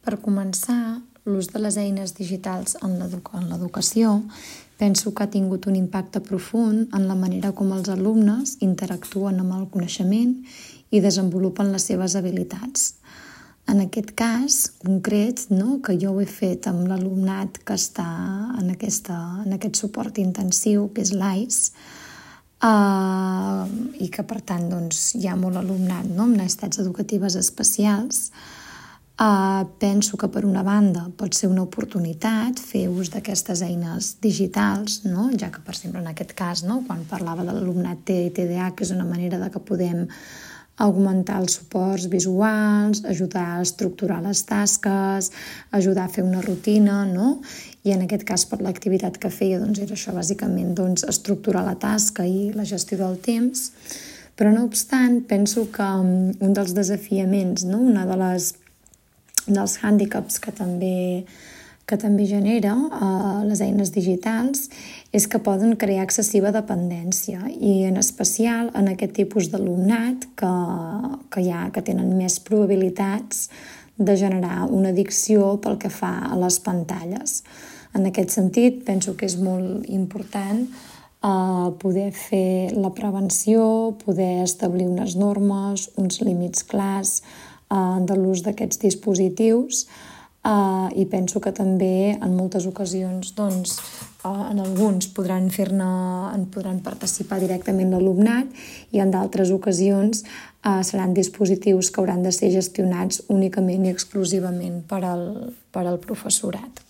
Per començar, l'ús de les eines digitals en l'educació penso que ha tingut un impacte profund en la manera com els alumnes interactuen amb el coneixement i desenvolupen les seves habilitats. En aquest cas concret, que jo ho he fet amb l'alumnat que està en aquest suport intensiu, que és l'AIS, i que per tant hi ha molt alumnat amb necessitats educatives especials. Penso que per una banda pot ser una oportunitat fer ús d'aquestes eines digitals, ja que per exemple en aquest cas, quan parlava de l'alumnat TEA i TDA, que és una manera de que podem augmentar els suports visuals, ajudar a estructurar les tasques, ajudar a fer una rutina, i en aquest cas per l'activitat que feia era això, bàsicament estructurar la tasca i la gestió del temps. Però no obstant, penso que un dels desafiaments, una dels hàndicaps que també genera les eines digitals és que poden crear excessiva dependència i en especial en aquest tipus d'alumnat que tenen més probabilitats de generar una addicció pel que fa a les pantalles. En aquest sentit, penso que és molt important poder fer la prevenció, poder establir unes normes, uns límits clars de l'ús d'aquests dispositius i penso que també en moltes ocasions en alguns podran participar directament l'alumnat i en d'altres ocasions seran dispositius que hauran de ser gestionats únicament i exclusivament per al professorat.